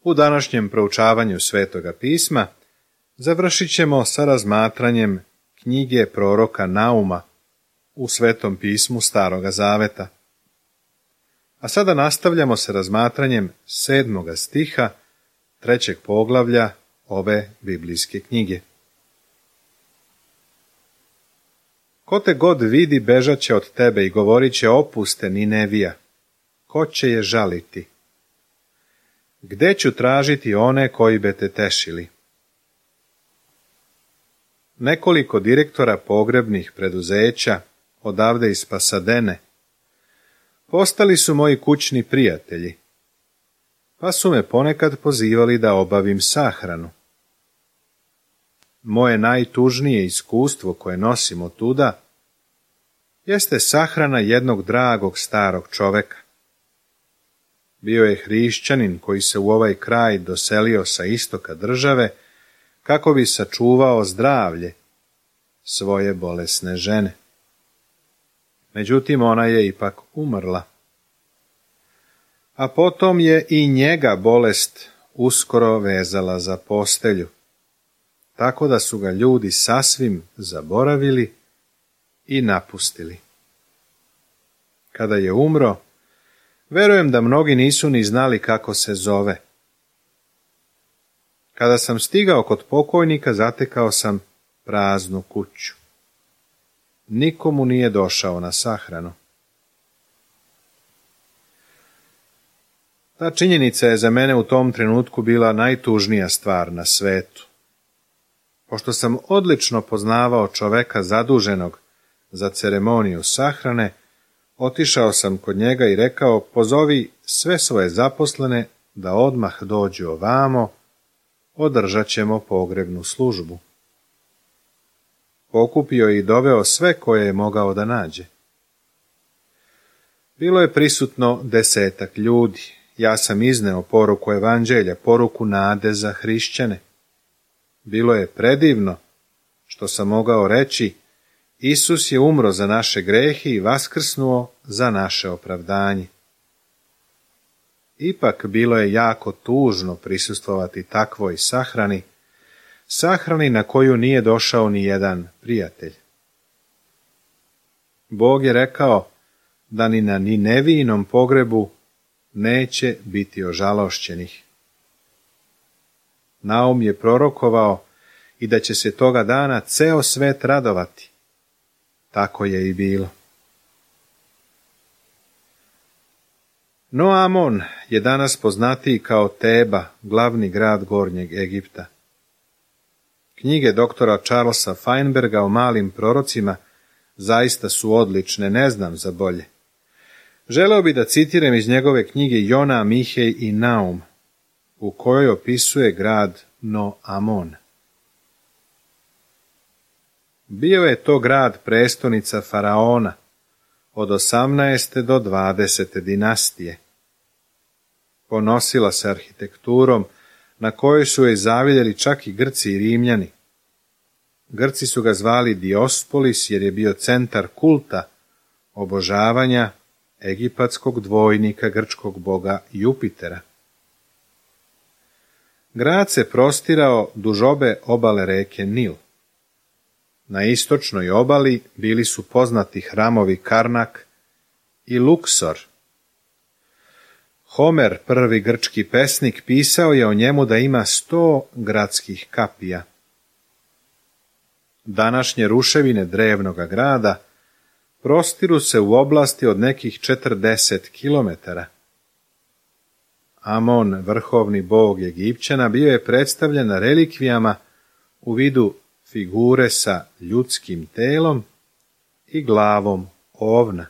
U današnjem proučavanju Svetoga pisma završit ćemo sa razmatranjem knjige proroka Nauma u Svetom pismu Staroga Zaveta. A sada nastavljamo sa razmatranjem 7. stiha 3. poglavlja ove biblijske knjige. Ko te god vidi, bežat će od tebe i govorit će: opuste Ninevija. Ko će je žaliti? Gde ću tražiti one koji bi te tešili? Nekoliko direktora pogrebnih preduzeća odavde iz Pasadene postali su moji kućni prijatelji, pa su me ponekad pozivali da obavim sahranu. Moje najtužnije iskustvo koje nosim otuda jeste sahrana jednog dragog starog čoveka. Bio je hrišćanin koji se u ovaj kraj doselio sa istoka države kako bi sačuvao zdravlje svoje bolesne žene. Međutim, ona je ipak umrla. A potom je i njega bolest uskoro vezala za postelju, tako da su ga ljudi sasvim zaboravili i napustili. Kada je umro, verujem da mnogi nisu ni znali kako se zove. Kada sam stigao kod pokojnika, zatekao sam praznu kuću. Nikomu nije došao na sahranu. Ta činjenica je za mene u tom trenutku bila najtužnija stvar na svetu. Pošto sam odlično poznavao čoveka zaduženog za ceremoniju sahrane, otišao sam kod njega i rekao: pozovi sve svoje zaposlene da odmah dođu ovamo, održat ćemo pogrebnu službu. Pokupio i doveo sve koje je mogao da nađe. Bilo je prisutno 10 ljudi. Ja sam izneo poruku evanđelja, poruku nade za hrišćane. Bilo je predivno što sam mogao reći: Isus je umro za naše grehe i vaskrsnuo za naše opravdanje. Ipak bilo je jako tužno prisustvovati takvoj sahrani na koju nije došao ni jedan prijatelj. Bog je rekao da ni na Ninevijinom pogrebu neće biti ožalošćenih. Naum je prorokovao i da će se toga dana ceo svet radovati. Tako je i bilo. No Amon je danas poznatiji kao Teba, glavni grad Gornjeg Egipta. Knjige doktora Charlesa Feinberga o malim prorocima zaista su odlične, ne znam za bolje. Želeo bi da citiram iz njegove knjige Jona, Mihej i Naum, u kojoj opisuje grad No Amon. Bio je to grad prestonica faraona od 18. do 20. dinastije. Ponosila se arhitekturom na kojoj su joj zavidjeli čak i Grci i Rimljani. Grci su ga zvali Diospolis jer je bio centar kulta obožavanja egipatskog dvojnika grčkog boga Jupitera. Grad se prostirao duž obe obale reke Nil. Na istočnoj obali bili su poznati hramovi Karnak i Luksor. Homer, prvi grčki pesnik, pisao je o njemu da ima 100 gradskih kapija. Današnje ruševine drevnoga grada prostiru se u oblasti od nekih 40 kilometara. Amon, vrhovni bog Egipćana, bio je predstavljen na relikvijama u vidu figure sa ljudskim telom i glavom ovna.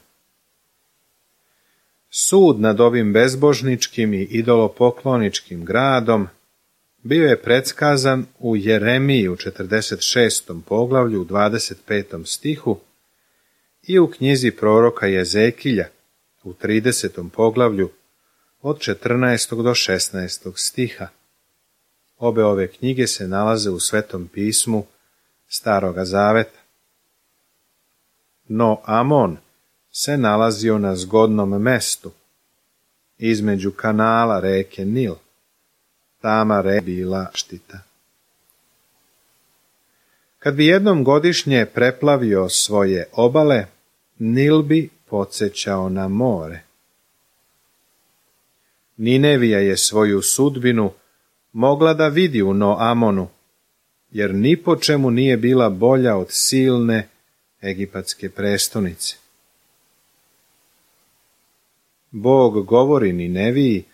Sud nad ovim bezbožničkim i idolopokloničkim gradom bio je predskazan u Jeremiji u 46. poglavlju u 25. stihu i u knjizi proroka Jezekilja u 30. poglavlju od 14. do 16. stiha. Obe ove knjige se nalaze u Svetom pismu Staroga Zaveta. No Amon se nalazio na zgodnom mestu, između kanala reke Nil. Tamare bila štita. Kad bi jednom godišnje preplavio svoje obale, Nil bi podsjećao na more. Ninevija je svoju sudbinu mogla da vidi u Noamonu, jer ni po čemu nije bila bolja od silne egipatske prestonice. Bog govori Nineviji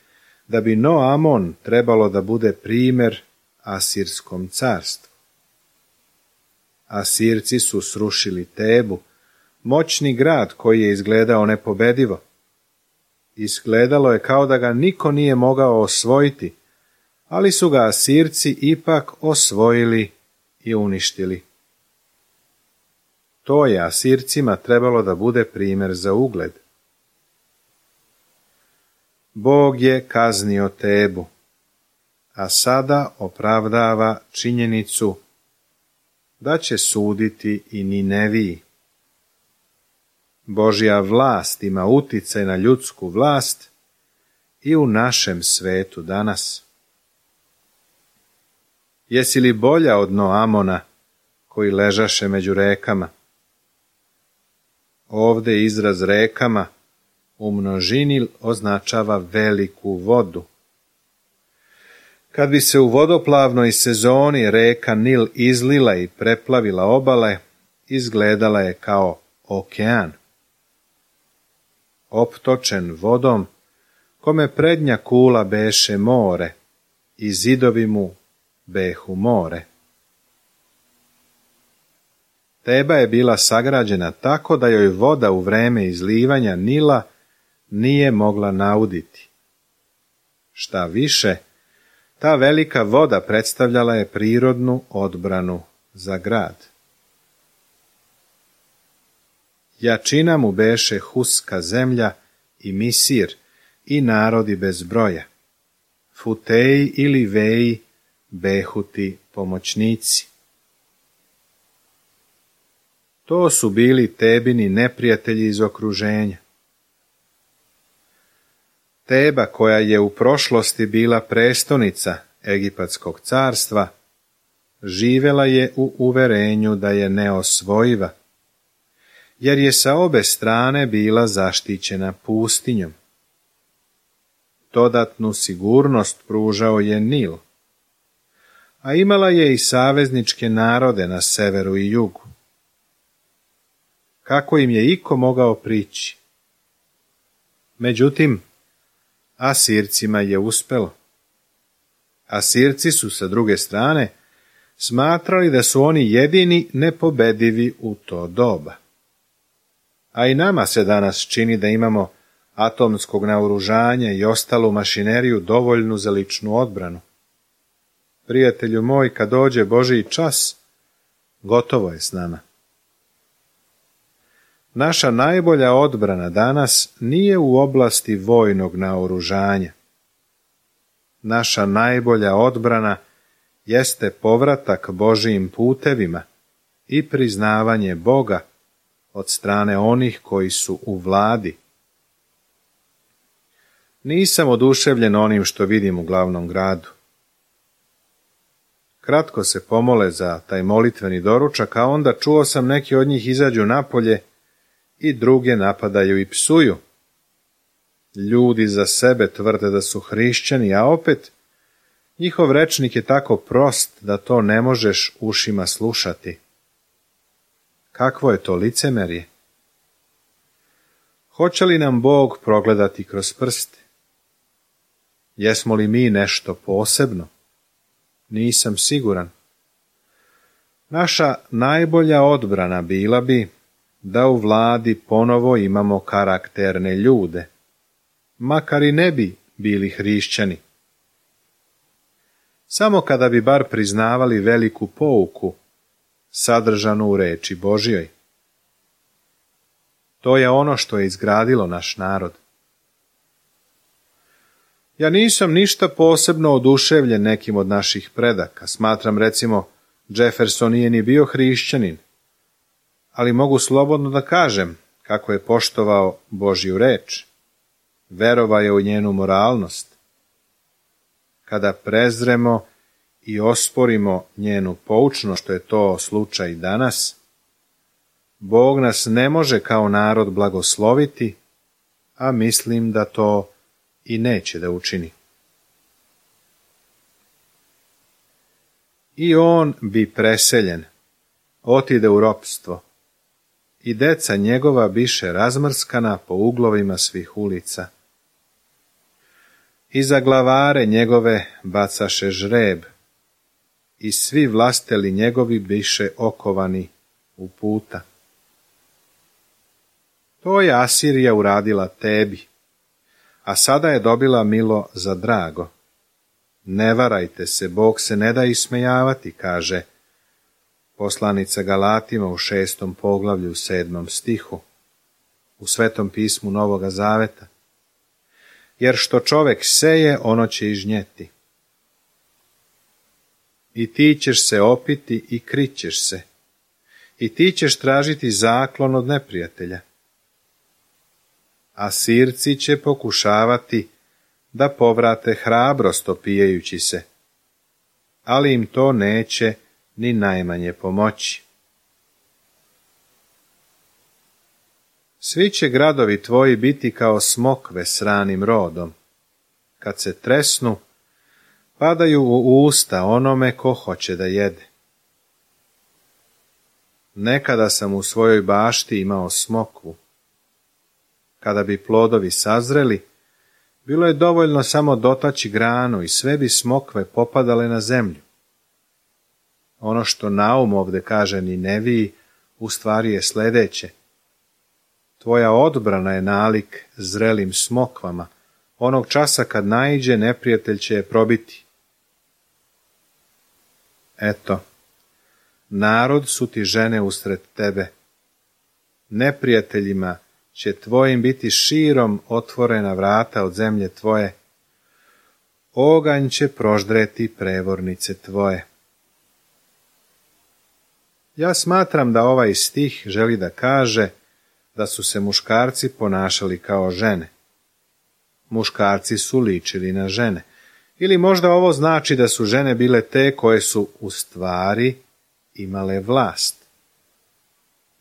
da bi Noamon trebalo da bude primjer Asirskom carstvu. Asirci su srušili Tebu, moćni grad koji je izgledao nepobedivo. Izgledalo je kao da ga niko nije mogao osvojiti, ali su ga Asirci ipak osvojili i uništili. To je Asircima trebalo da bude primjer za ugled. Bog je kaznio Tebu, a sada opravdava činjenicu da će suditi i Nineviji. Božja vlast ima uticaj na ljudsku vlast i u našem svetu danas. Jesi li bolja od Noamona koji ležaše među rekama? Ovde izraz rekama u množini označava veliku vodu. Kad bi se u vodoplavnoj sezoni reka Nil izlila i preplavila obale, izgledala je kao okean. Optočen vodom, kome prednja kula beše more i zidovi mu behu more. Teba je bila sagrađena tako da joj voda u vreme izlivanja Nila nije mogla nauditi. Šta više, ta velika voda predstavljala je prirodnu odbranu za grad. Jačina mu beše Huska zemlja i Misir i narodi bez broja. Futeji ili Veji behu ti pomoćnici. To su bili Tebini neprijatelji iz okruženja. Teba, koja je u prošlosti bila prestonica Egipatskog carstva, živela je u uverenju da je neosvojiva, jer je sa obe strane bila zaštićena pustinjom. Dodatnu sigurnost pružao je Nil, a imala je i savezničke narode na severu i jugu. Kako im je iko mogao prići? Međutim, Asircima je uspelo. Asirci su sa druge strane smatrali da su oni jedini nepobedivi u to doba. A i nama se danas čini da imamo atomskog naoružanja i ostalu mašineriju dovoljnu za ličnu odbranu. Prijatelju moj, kad dođe Božji čas, gotovo je s nama. Naša najbolja odbrana danas nije u oblasti vojnog naoružanja. Naša najbolja odbrana jeste povratak Božijim putevima i priznavanje Boga od strane onih koji su u vladi. Nisam oduševljen onim što vidim u glavnom gradu. Kratko se pomole za taj molitveni doručak, a onda čuo sam neki od njih izađu napolje i druge napadaju i psuju. Ljudi za sebe tvrde da su hrišćani, a opet njihov rečnik je tako prost da to ne možeš ušima slušati. Kakvo je to licemerje? Hoće li nam Bog progledati kroz prste? Jesmo li mi nešto posebno? Nisam siguran. Naša najbolja odbrana bila bi da u vladi ponovo imamo karakterne ljude, makar i ne bi bili hrišćani. Samo kada bi bar priznavali veliku pouku sadržanu u reči Božjoj. To je ono što je izgradilo naš narod. Ja nisam ništa posebno oduševljen nekim od naših predaka. Smatram, recimo, Jefferson nije ni bio hrišćanin, ali mogu slobodno da kažem kako je poštovao Božju reč. Verovao je u njenu moralnost. kada prezremo i osporimo njenu poučnost, što je to slučaj danas, Bog nas ne može kao narod blagosloviti, a mislim da to i neće da učini. I on bi preseljen, otide u ropstvo, i deca njegova biše razmrskana po uglovima svih ulica. I za glavare njegove bacaše žreb, i svi vlasteli njegovi biše okovani u puta. To je Asirija uradila tebi, a sada je dobila milo za drago. Ne varajte se, Bog se ne da ismejavati, kaže poslanica Galatima u 6. poglavlju 7. stihu, u Svetom pismu Novoga Zaveta. Jer što čovek seje, ono će i žnjeti. I ti ćeš se opiti i krićeš se, i ti ćeš tražiti zaklon od neprijatelja. A Sirci će pokušavati da povrate hrabrost opijajući se, ali im to neće ni najmanje pomoći. Svi će gradovi tvoji biti kao smokve s ranim rodom. Kad se tresnu, padaju u usta onome ko hoće da jede. Nekada sam u svojoj bašti imao smokvu. Kada bi plodovi sazreli, bilo je dovoljno samo dotaći granu i sve bi smokve popadale na zemlju. Ono što Naum ovde kaže Nineviji, u stvari je sledeće. Tvoja odbrana je nalik zrelim smokvama, onog časa kad naiđe neprijatelj će je probiti. Eto, narod su ti žene usred tebe. Neprijateljima će tvojim biti širom otvorena vrata od zemlje tvoje. Oganj će proždreti prevornice tvoje. Ja smatram da ovaj stih želi da kaže da su se muškarci ponašali kao žene. Muškarci su ličili na žene. Ili možda ovo znači da su žene bile te koje su u stvari imale vlast.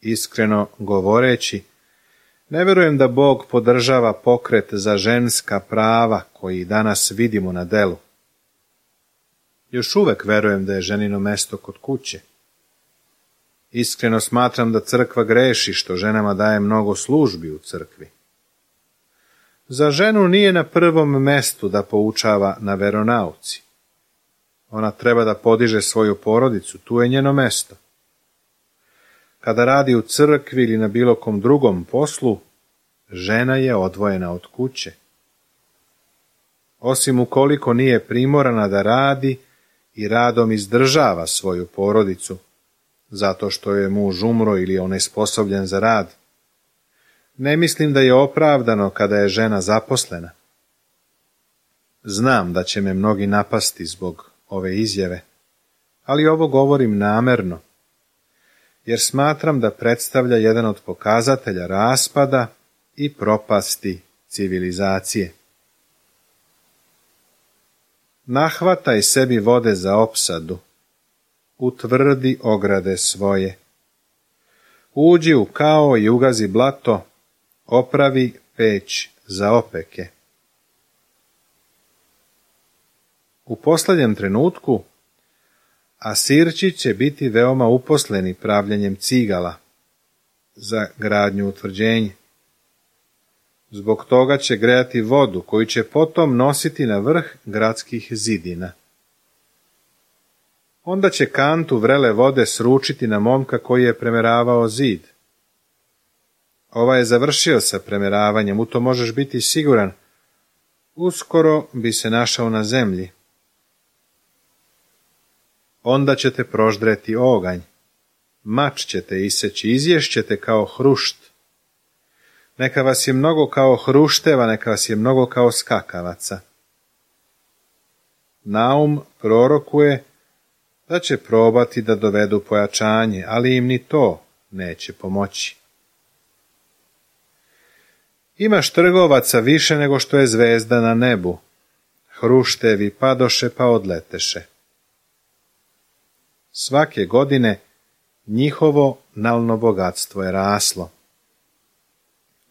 Iskreno govoreći, ne verujem da Bog podržava pokret za ženska prava koji danas vidimo na delu. Još uvek verujem da je ženino mesto kod kuće. Iskreno smatram da crkva greši što ženama daje mnogo službi u crkvi. Za ženu nije na prvom mestu da poučava na veronauci. Ona treba da podiže svoju porodicu, tu je njeno mesto. Kada radi u crkvi ili na bilo kom drugom poslu, žena je odvojena od kuće. Osim ukoliko nije primorana da radi i radom izdržava svoju porodicu, zato što je muž umro ili on je nesposobljen za rad. Ne mislim da je opravdano kada je žena zaposlena. Znam da će me mnogi napasti zbog ove izjave, ali ovo govorim namerno, jer smatram da predstavlja jedan od pokazatelja raspada i propasti civilizacije. Nahvataj sebi vode za opsadu, utvrdi ograde svoje. Uđi u kao i ugazi blato, opravi peć za opeke. U posljednjem trenutku Asirći će biti veoma uposleni pravljenjem cigala za gradnju utvrđenja. Zbog toga će grejati vodu koju će potom nositi na vrh gradskih zidina. Onda će kantu vrele vode sručiti na momka koji je premeravao zid. Ovaj je završio sa premeravanjem, u to možeš biti siguran. Uskoro bi se našao na zemlji. Onda ćete proždreti oganj, mač ćete iseći, izješćete kao hrušt. Neka vas je mnogo kao hrušteva, neka vas je mnogo kao skakavaca. Naum prorokuje da će probati da dovedu pojačanje, ali im ni to neće pomoći. Imaš trgovaca više nego što je zvezda na nebu. hruštevi padoše pa odleteše. Svake godine njihovo nalno bogatstvo je raslo.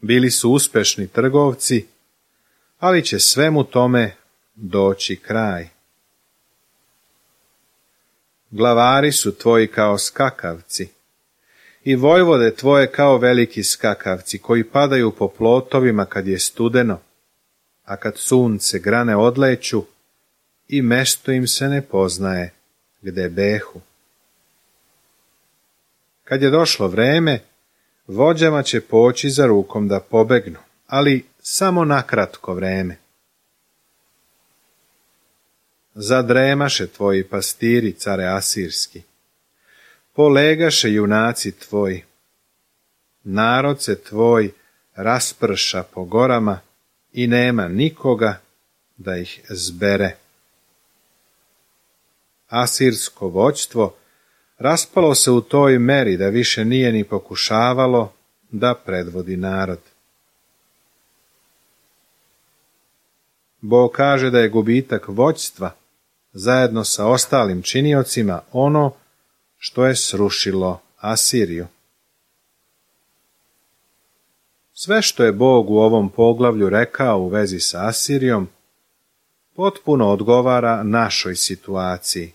Bili su uspešni trgovci, ali će svemu tome doći kraj. Glavari su tvoji kao skakavci i vojvode tvoje kao veliki skakavci koji padaju po plotovima kad je studeno, a kad sunce grane odleću i mesto im se ne poznaje gde behu. Kad je došlo vreme, vođama će poći za rukom da pobegnu, ali samo na kratko vreme. Zadremaše tvoji pastiri, care asirski, polegaše junaci tvoji, narod se tvoj rasprša po gorama i nema nikoga da ih zbere. Asirsko vođstvo raspalo se u toj meri da više nije ni pokušavalo da predvodi narod. Bog kaže da je gubitak vođstva zajedno sa ostalim činiocima ono što je srušilo Asiriju. Sve što je Bog u ovom poglavlju rekao u vezi sa Asirijom potpuno odgovara našoj situaciji.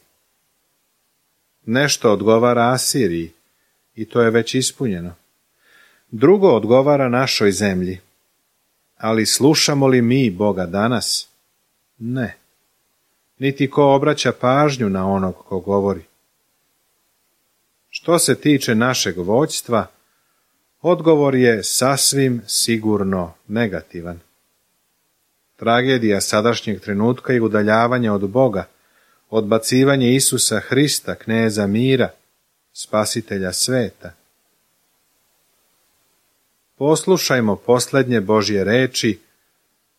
Nešto odgovara Asiriji i to je već ispunjeno. Drugo odgovara našoj zemlji. Ali slušamo li mi Boga danas? Ne. Niti ko obraća pažnju na onog ko govori. Što se tiče našeg vođstva, odgovor je sasvim sigurno negativan. Tragedija sadašnjeg trenutka i udaljavanje od Boga, odbacivanje Isusa Hrista, kneza mira, spasitelja sveta. Poslušajmo posljednje Božje reči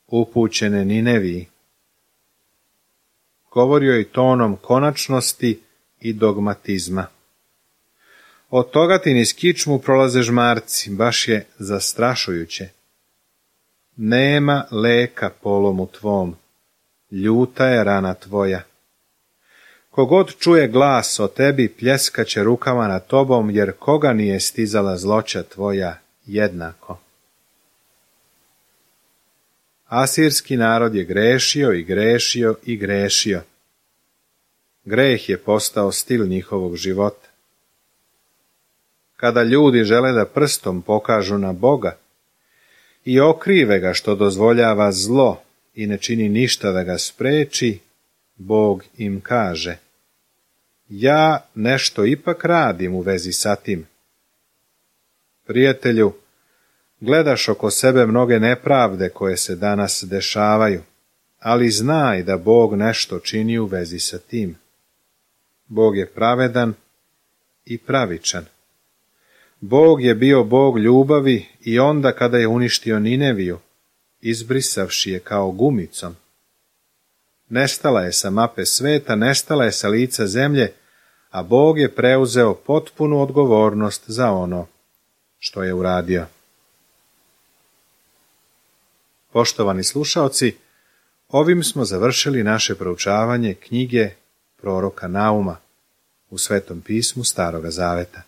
upućene Nineviji. Govorio je tonom konačnosti i dogmatizma. Od toga ti niz kičmu prolaze žmarci, baš je zastrašujuće. Nema leka polomu tvom, ljuta je rana tvoja. Kogod čuje glas o tebi, pljeskaće rukama nad tobom, jer koga nije stizala zloća tvoja jednako. Asirski narod je grešio i grešio i grešio. Greh je postao stil njihovog života. Kada ljudi žele da prstom pokažu na Boga i okrive ga što dozvoljava zlo i ne čini ništa da ga spreči, Bog im kaže: ja nešto ipak radim u vezi sa tim. Prijatelju, gledaš oko sebe mnoge nepravde koje se danas dešavaju, ali znaj da Bog nešto čini u vezi sa tim. Bog je pravedan i pravičan. Bog je bio Bog ljubavi i onda kada je uništio Nineviju, izbrisavši je kao gumicom. Nestala je sa mape sveta, nestala je sa lica zemlje, a Bog je preuzeo potpunu odgovornost za ono što je uradio. Poštovani slušaoci, ovim smo završili naše proučavanje knjige proroka Nauma u Svetom pismu Staroga Zaveta.